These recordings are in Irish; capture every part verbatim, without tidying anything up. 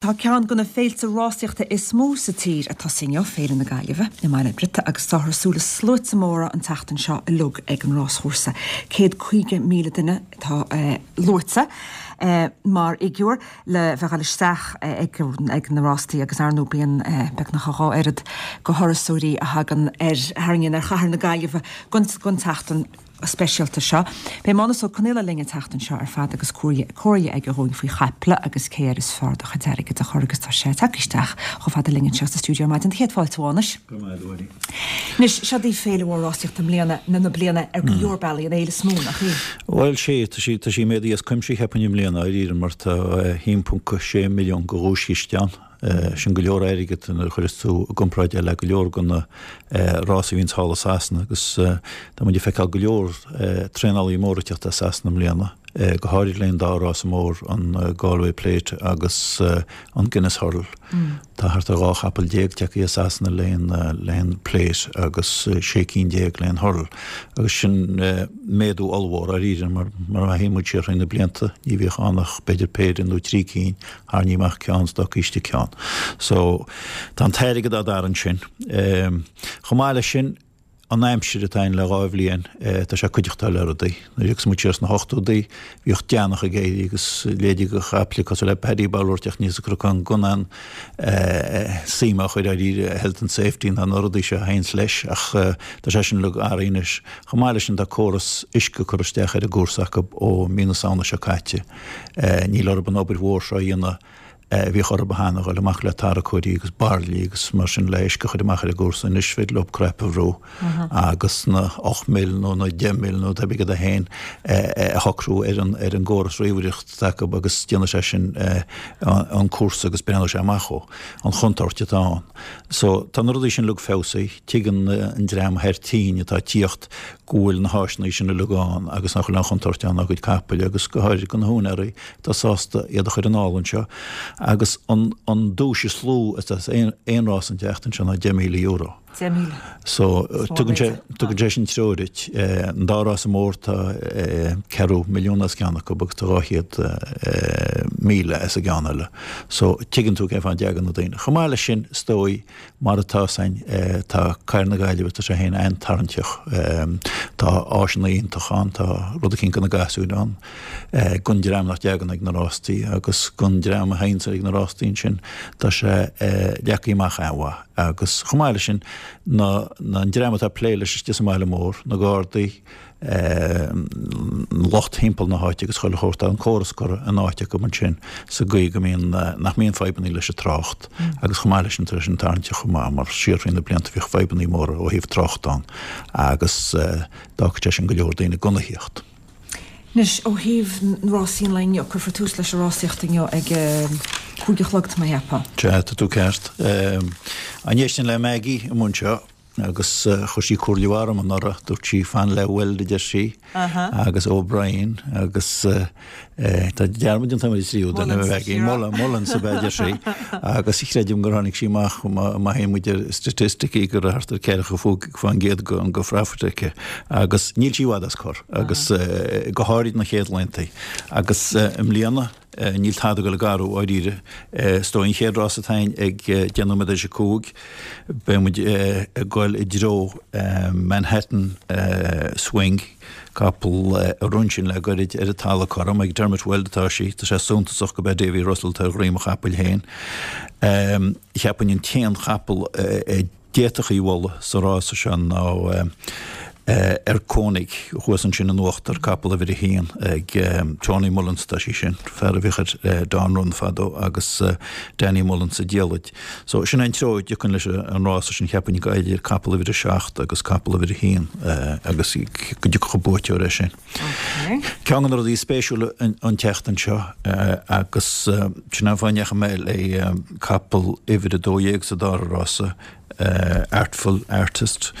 Tá ceann de na féilte rásaíochta is mó sa tír ag tosú inniu, Féile na Gaillimhe i mBaile Briotaí, agus táthar ag súil le sluaite móra an tseachtain seo uilig ag an ráschúrsa. Céad caoga míle duine atá luaite mar fhigiúr le bheith ag dul isteach ag ag na rástaí, agus ar ndóigh bíonn beagnach a dhá oiread de thurasóirí a thagann ar a tharraingíonn ar chathair na Gaillimhe don tseachtain speisialta seo. Beidh Mánus Ó Conaola linn an tseachtain seo ar fad agus comhairle aige dhúinn faoi chaiple agus cé air is fearr do chuid airgid a chur, agus tá sé tagtha isteach chomh fada linn anseo sa stiúideo ar maidin. Céad fáilte, a Mhánais. Go raibh maith agat. Anois, seo í féile mhór rásaíochta mbliana na na bliana ar go leor bealaí, an fhéile is mó, nach í? Bhuel, sé, tá sí tá sí méadaithe as cuimse, cheapfainn, i mbliana, dáiríre, mar tá a haon ponc sé milliún de dhuaischiste ann. Sin go leor airgid nuair a chuireas tú i gcomparáid é le go leor de na rásaí a bhíonn thall i Sasana, agus tá muid ag feiceáil go leor traenálaí mór ag teacht as Sasana i mbliana, go háirid le an dá rása mór, an Galway Plate agus an Guinness Hurdle. Tá thart ar dhá chapall déag tagtha as Sasana le le an Plate agus sé cinn déag le an Hurdle, agus sin méadú ollmhór dáiríre, mar mar a théann muid siar thrí na blianta, ní bhíodh ann ach b'fhéidir péire nó trí cinn, tharraingí amach ceann is d'fhágtaí istigh ceann. So tá an t-airgead á dtarraingt sin. Chomh maith leis sin, an aimsir atá ann le dhá bhliain, tá sé cuideachta le rudaí. Nuair a muid siar sna hochtóidí, bhíodh deannach ag éirí agus leithéidí de chaiple cosúil le Paddy Bauer teacht aníos an cnocán gan aon suim á chur ar health and safety ná na rudaí seo a théanns leis, ach tá sé sin uilig athraithe anois. Chomh maith leis sin, tá córas uisce curtha isteach ar an gcúrsa acu ó mí na Samhna seo caite. Níl orthu an obair mhór seo a dhéanamh a bhíodh orthu cheana, a dhul amach le tarracóirí agus bairillí agus mar sin le uisce a chur amach ar an gcúrsa. Anois féidir leo crap a bhrú agus na ocht mil nó na deich mil nó pé ar bith a théann a shocrú ar an ar an gcóras ríomhaireachta acu, agus déanfaidh sé sin an cúrsa agus breathnóidh sé amach ó an chontúirt atá ann. So tá na rudaí sin uilig feabhsaithe. Tuigeann an dream thar tín atá ag tíocht go bhfuil na háiseanna sin uilig ann agus nach bhfuil aon chontúirt ann dá gcuid capaill, agus go háirid do na húinéirí atá sásta iad a chur anall anseo, agus an an duais is lú as aon aon rás an tseachtain seo ná deich míle euro. Deich míle. So tugann sé tugann sé sin treoir duit. An dá rása mór, tá ceathrú milliún as ceann acu agus tá dhá chéad míle as an gceann eile. So tuigeann tú cén fáth a dtagann na daoine. Chomh maith leis sin, is dóigh, mar atá san tá Cathair na Gaillimhe, tá sé féin an-tarraingteach. Tá áiseanna iontacha ann, tá rud eicínt do na gasúir ann, don dream nach dtagann ag na rástaí agus don dream a théann ag na rástaí ansin, tá sé leagtha amach an-mhaith. Agus chomh maith leis sin, na an dream atá ag plé leis istigh sa mbaile mór, na Gardaí, lucht thimpeall na háite agus chuile shórt, tá an córas curtha in áit acu ansin sa gcaoi go mbíonn nach mbíonn fadhbanna leis an trácht, agus chomh maith leis sin tá sin tarraingteach chomh maith, mar siar thrí na blianta bhíodh fadhbanna móra ó thaobh trácht ann agus d'fhágfadh sé sin go leor daoine gan a thíocht. Anois, ó thaobh na rásaí an lae inniu, cuirfear tús leis an rásaíocht inniu ag cúig a chlog, tá mé ag ceapadh. Sea, tá tú ceart. An éisteann le Maggie i mbun seo, agus chuir sí comhairle mhaith orm anuraidh. Dúirt sí, "Fan le Weld," a deir sí, agus O'Brien, agus tá dearmad déanta agam ar an tríú duine, Maggie, Mullins ab ea, a deir sí, agus chreidim gur tháinig sí amach, má théann muid ar staitisticí, gur thart ar ceathracha faoin gcéad de phrofit aici, agus níl sí i bhfad as cor, agus go háirid na chéad laethanta. Agus i mbliana níl tada ag dul ag athrú dáiríre. Is dóigh an chéad rás atá againn ag deich nóiméad tar éis a cúig, beidh muid ag dul i dtreo Manhattan Swing, capall a rinn sin le goirid ar an talamh cothrom. Ag Dermot Weld atá sí. Tá sé suntasach go b'é Davy Russell atá ar dhroim an chapaill féin. Cheapfainn an t-aon chapall a d'fhéadfadh í a bhualadh sa rása seo ná Erkonig thuas ansin in uachtar, capall uimhir a haon ag Tony Mullins atá sí sin, fear a bhíodh ar Dawn Run fadó, agus Danny Mullins a diallaid. So sin an treo a dtiocfainn leis an rása sin, cheapfainn go idir capall uimhir a seacht agus capall uimhir a haon agus go dtiocfadh buaiteoir é sin. Ceann de na rudaí spéisiúla an tseachtain seo, agus sin an fáth a ndeachaigh mé le capall uimhir a dó dhéag sa dara rása, Artful Artist.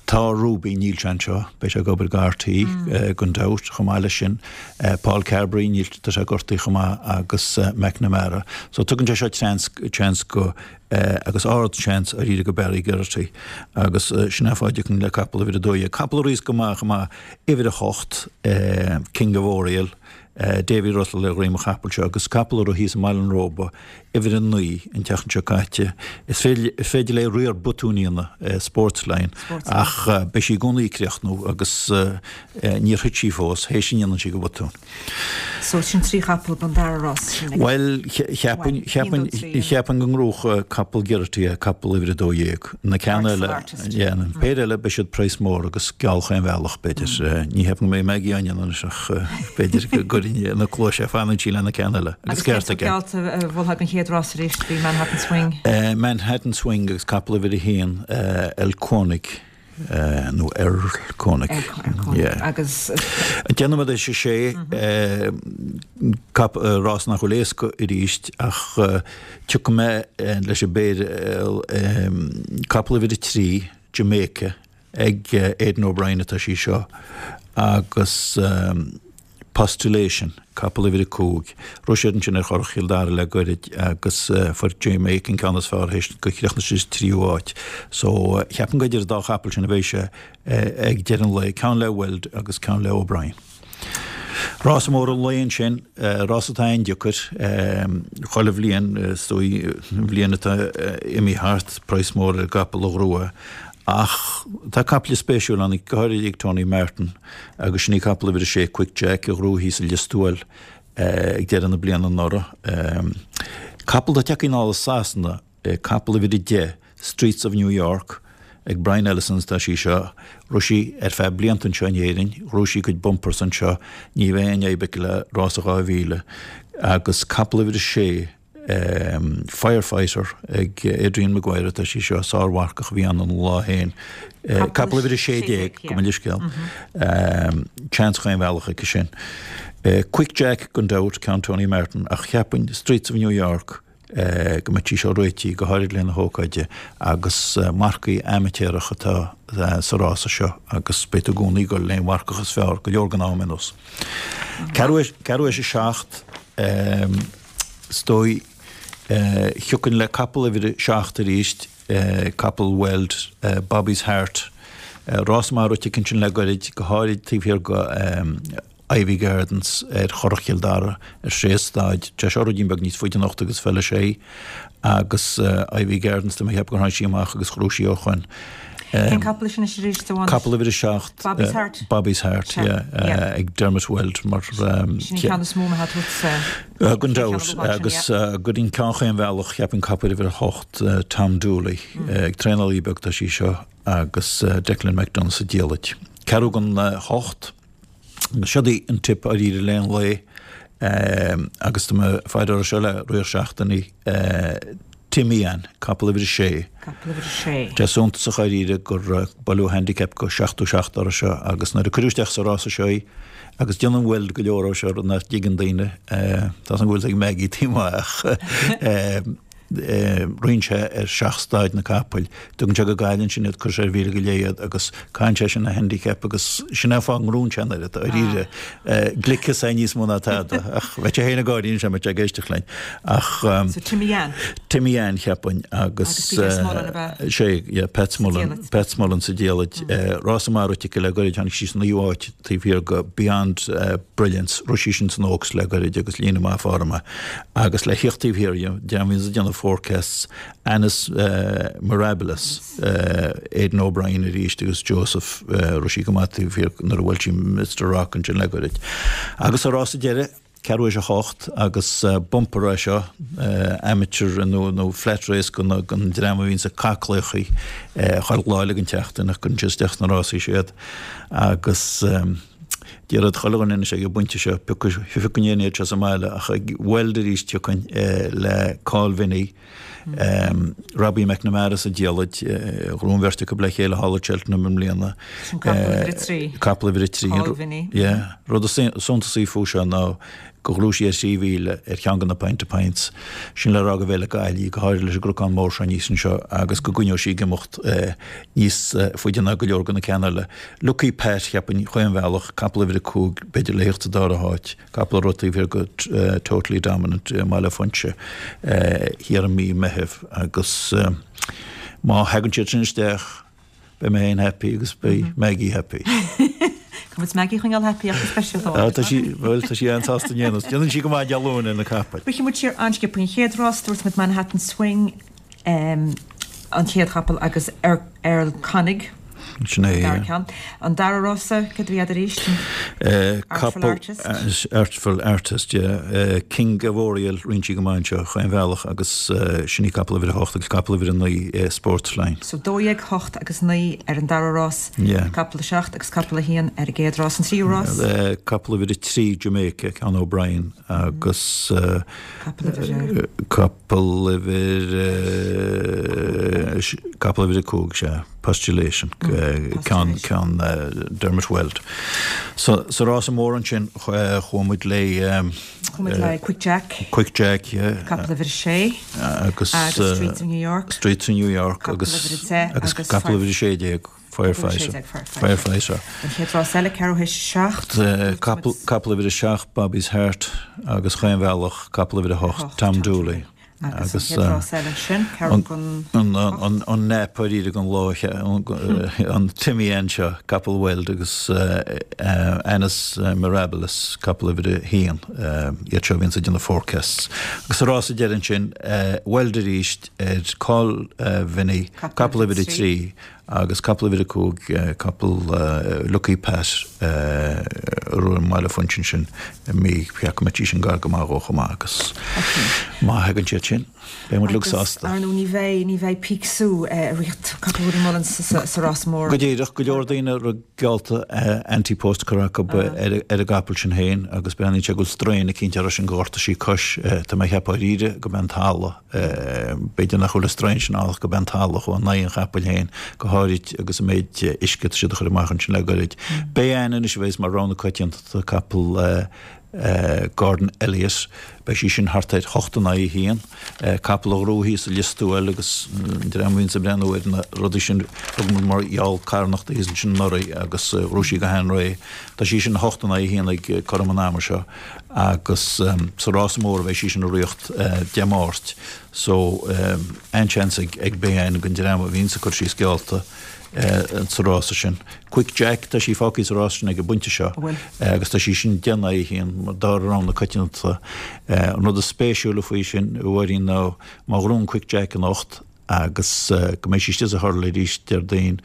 Tá Ruby, níl sé anseo, beidh sé ag obair do R T gan dabht. Chomh maith leis sin, Paul Carberry, níl, tá sé gortaithe chomh maith, agus McNamara. So tugann sé seo chance chance go agus ard chance dáiríre go Barry Geraghty, agus sin an fáth a dtiocfainn le capall uimhir a dó dhéag. Capall a rith go maith chomh maith, uimhir a hocht, King of Oriel. Davy Russell ar dhroim an chapaill seo agus capall a raibh thíos i mBaile an Róba uimhir a naoi an tseachtain seo caite. Is féidir léi riar botúin a dhéanamh, Sportsline, ach beidh sí i gcónaí ag críochnú agus níor thit sí fós, théis a ndéanann sí de bhotún. So sin trí chapall don dara rás sin ag. Bhuel, cheapfainn, cheapfainn, cheapfainn go ngnóthódh capall Geraghty é, capall uimhir a dó dhéag. Na ceanna eile, yeah, na péire eile beidh siad praghas mór agus geall chaon bhealach b'fhéidir. Ní cheapaim go mbeidh Maggie á ndéanamh anois ach b'fhéidir go gcuirfinn ina cluais é, fanann sí lena ceann eile agus Agus cén ceart aige. geallta a mholfá don chéad rás arís? Bhí Manhattan Swing. Manhattan Swing agus capall uimhir a haon, El Koenig nó Erlkönig. Erlkönig. Yeah. Agus. Deich nóiméad théis a sé, cap, rás nach bhfuil éasca arís ach tiocfaidh mé leis an bpéire, capall uimhir a trí, Jamaica, ag Aidan O'Brien atá sí seo agus Postulation, capall uimhir a cúig. Rith siad ansin ar Churrach Chill Dara le goirid agus fuair Jamaica an ceann is fearr théis gur chríochnaigh sé sa tríú háit. So cheapfainn gur idir an dá chapall sin a bheidh sé ag deireadh an lae, ceann le Weld agus ceann le O'Brien. Rása mór an lae ansin, rás atá an-deacair. Chuile bhliain, is dóigh, an bhliain atá imithe thart, praghas mór ar an gcapall a ghnóthaigh. Ach tá caiple spéisiúil ann, go háirid ag Tony Martin, agus sin í capall uimhir a sé, Quick Jack, a ghnóthaigh thíos i Lios Tuathail ag deireadh na bliana anuraidh. Capall atá tagtha anall as Sasana, capall uimhir a deich, Streets of New York, ag Brian Ellison atá sí seo. Rith sí ar feadh blianta anseo in Éirinn, ghnóthaigh sí cuid bumpers anseo, ní bheidh aon fhadhb aici le rás a dhá mhíle. Agus capall uimhir a sé, Firefighter ag Adrian Maguire atá sí seo, sármharcach a bhí ann an lá féin. Capall uimhir a sé déag, gabh mo leithscéal. Seans chaon bhealach aici sin. Quick Jack gan dabht, ceann Tony Martin, ach cheapfainn Streets of New York go mbeidh sí seo réitithe, go háirid le na hócáide, agus marcaí amaitéarach atá sa rása seo agus beidh tú i gcónaí ag dul leis an mharcach is fearr go leor den am ar nós. Ceathrú théis a seacht. Is dóigh, thiocfainn le capall uimhir a seacht arís, capall Weld, Bobby's Heart. Rás maith rite aici ansin le goirid, go háirid taobh thiar de Iveagh Gardens ar Churrach Chill Dara ar sé staid. Tá seo ruidín beag níos faide anocht agus feilfidh sé í. Agus Iveagh Gardens, tá mé ag ceapadh gur tháinig sí amach agus ghnóthaigh sí ó shoin. Cén capall é sin anois arís, a Mhánais? Capall uimhir a seacht. Bobby's Heart? Bobby's Heart, yeah, ag Dermot Weld mar. Sin an ceann is mó atá tuillte. Gan dabht, agus gcuirfinn ceann chaon bhealach, cheapfainn capall uimhir a hocht, Tom Dooley, ag traenálaí beag atá sí seo agus Declan McDonogh sa diallait. Ceathrú don hocht. Siod í an tip dáiríre le an lae agus tá mé ag faire orthu seo le riar seachtainí. Timmy Ann, capall uimhir a sé. Capall uimhir a sé. Tá suntasach dáiríre gur buaileadh handicap go seachtó seacht uirthi seo agus nuair a cuireadh isteach sa rása seo í, agus déanann Weld go leor ó seo, rud nach dtuigeann daoine, tá a fhios agam go bhfuil ag Maggie taobh amuigh ach Ritheann sé ar seacht staid na capaill. Tugann sé go Gaillimh ansin iad, cuireann sé ar mhíle go leith iad agus caitheann sé sin a handicap agus sin é an fáth a ngnóthaíonn sé an oiread, dáiríre. Gliceas é níos mó ná tada ach bheadh sé féin ag gáirí anseo má bheadh sé ag éisteacht linn. Ach. So Timmy Ann? Timmy Ann, cheapfainn, agus. Agus Peter Smullen ab ea? Sé, yeah, Pat Smullen. Pat Smullen sa diallait. Rás maith rite aici le goirid, tháinig sí sa naoú háit taobh thiar de Beyond Brilliance. Rith sí sin san Oaks le goirid agus líne maith forma. Agus le thíocht taobh thiar dhe, dream a bhíonns ag déanamh forecasts, Annus Mirabilis, Aidan O'Brien arís agus Joseph, rith sí go maith taobh thiar nuair a bhuail sí Mister Rock ansin le goirid. Agus sa rása deiridh, ceathrú théis a hocht agus bumper é seo, amateur nó nó flat race don don dream a bhíonns ag caitheamh claíochaí chuile lá uilig den tseachtain ach cuireann siad isteach sna rásaí seo iad agus Déarfadh chuile dhuine anois ag an bpointe seo, pioc an iad seo sa mbaile, ach ag Weld arís thiocfainn le Call Vinny, Robbie McNamara sa diallait, ghnóthaigh an bheirt acu le chéile thall at Cheltenham i mbliana. Sin capall uimhir a trí. Capall uimhir a trí. Call Vinny. Yeah. Rud is suntasaí fúthu seo ná gur ghnóthaigh sí ar thrí mhíle ar cheann de na point to points. Sin le rá go bhfeilfidh Gaillimh, go háirithe leis an gcnocán mór seo aníos anseo agus go gcoinneoidh sí ag imeacht níos faide ná go leor de na ceanna eile. Lucky Pat, cheapfainn, chaon bhealach, capall uimhir a cúig, b'fhéidir le thíocht sa dara háit, capall a rith taobh thiar de Totally Dominant i mBaile Phúinse thiar i mí Meithimh agus má thagann siad sin isteach, Beidh mé féin happy agus beidh Maggie happy. Tá muid Maggie a choinneáil happy ach is speisialta amháin. Tá sí, bhuel, tá sí an-sásta in aon nós. Déanann sí go maith Dé Luain ar na capaill. Rithfidh muid siar an-sciobtha an chéad rás, dúirt muid Manhattan Swing, an chéad chapall agus Erlkönig. Sin é, Dara ceann. An dara rása, céard a bhí agat arís? Artful Artist? Artful Artist, yeah. King Avoriel, rinne sí go maith anseo, chaon bhealach agus sin í capall uimhir a hocht agus capall uimhir a naoi Sportsline. So dó dhéag, hocht agus naoi ar an dara rás, capall a seacht agus capall a haon ar an gcéad rás. An tríú rás? Capall uimhir a trí Jamaica, ceann O'Brien agus Capall uimhir a. Capall uimhir a, capall uimhir a cúig, sea. Postulation, ceann, ceann Dermot Weld. So, sa rása mór ansin, chuaigh muid le. Chuaigh muid le Quick Jack. Quick Jack, yeah. Capall uimhir a sé. Agus. Agus Streets of New York. Streets of New York agus. Capall uimhir a deich. Agus capall uimhir a sé déag, Firefighter. Firefighter. An chéad rás eile, ceathrú théis a seacht. Capall, capall uimhir a seacht, Bobby's Heart agus chaon bhealach, capall uimhir a hocht, Tom Dooley. Agus an chéad rás eile ansin, ceathrú chun hocht. An nap dáiríre den lá, an Timmy Ann seo, capall Weld agus Annus Mirabilis, capall uimhir a haon, iad seo a bhíonns ag déanamh forecasts. Agus sa rása deiridh ansin, Weld arís ar Call Vinny, capall uimhir a trí, Agus capall uimhir a cúig, capall Lucky Pat a raibh i mBaile Phúinse ansin i mí, cheap go mbeadh sí sin gar go maith dhó chomh maith agus má thagann siad sin, beidh muid uilig sásta. Agus ar ndóigh ní bheidh, ní bheidh Peak Sue ag rith, capall Willie Mullins sa rás mór. Go díreach, go leor daoine a raibh geallta ante-post curtha acu ar an gcapall sin féin agus breathnaíonn sé go bhfuil strain eicínt uirthi sin gur ghortaigh sí cois, tá mé ag ceapadh dáiríre go b'é an talamh. B'fhéidir nach bhfuil an strain sin ann ach go b'é an talamh a chuaigh in aghaidh an chapaill féin, go háirid agus an méid uisce atá siad a chur amach ansin le goirid. Beidh Ann anois a bheas mar rogha na coitiantachta, capall Gordon Elliott, beidh sí sin thart ar hocht in aghaidh a haon. Capall a ghnóthaigh thíos i Lios Tuathail agus an dream a bhíonns ag breathnú ar na rudaí sin, thug muid mar gheall carthanachta thíos ansin anuraidh agus ghnóthaigh sí go han-réidh. Tá sí sin hocht in aghaidh a haon ag cothrom an ama seo. Agus sa rása mór a bheidh sí sin ag ritheacht Dé Máirt so an-seans ag Beidh Ann don dream a bhíonns ag cur síos geallta sa rása sin. Quick Jack, tá sí fágtha sa rása sin ag an bpointe seo agus tá sí sin deich in aghaidh a haon, dara rogha na coitiantachta. An rud is spéisiúla faoi sin, a Mháirín, ná má ghnóthaíonn Quick Jack anocht, agus go mbeidh sí istigh sa hurdle arís Déardaoin,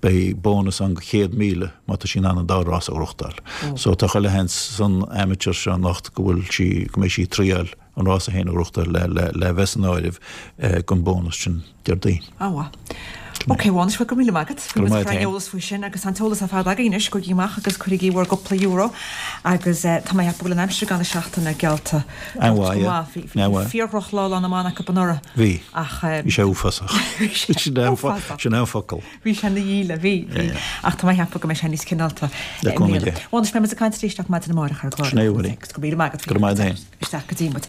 beidh bónas ann de chéad míle má tá sí in ann an dá rás a ghnóthachtáil. So tá chuile sheans san amateur seo anocht go bhfuil sí, go mbeidh sí ag triail an rása féin a ghnóthachtáil le, le, le bheith san áireamh don bónas sin Déardaoin. An-mhaith. Ok, a Mhánais, bhuel, go raibh míle maith agat. Go raibh maith agat féin. eolas faoi sin agus an t-eolas ar fad againn anois, gabhaigí amach agus cuirigí bhur gcúpla euro agus tá mé ag ceapadh go bhfuil an aimsir i gceann na seachtaine geallta go maith. Bhí fíor-dhroch-lá Lá na mBan acu anuraidh. Bhí. Ach. Bhí sé uafásach. Bhí sé uafásach. Sin an focal. Bhí sé ina dhíle, bhí, bhí. Ach tá mé ag ceapadh go mbeidh sé níos cineálta Le i cúnamh mbliana. Dé. Bhuel, anois beidh muid ag caint arís ach maidin amárach ar an gclár. Sin é, a Mháirín. Agus go raibh míle maith agat. Go raibh maith agat féin. Isteach go dtí muid.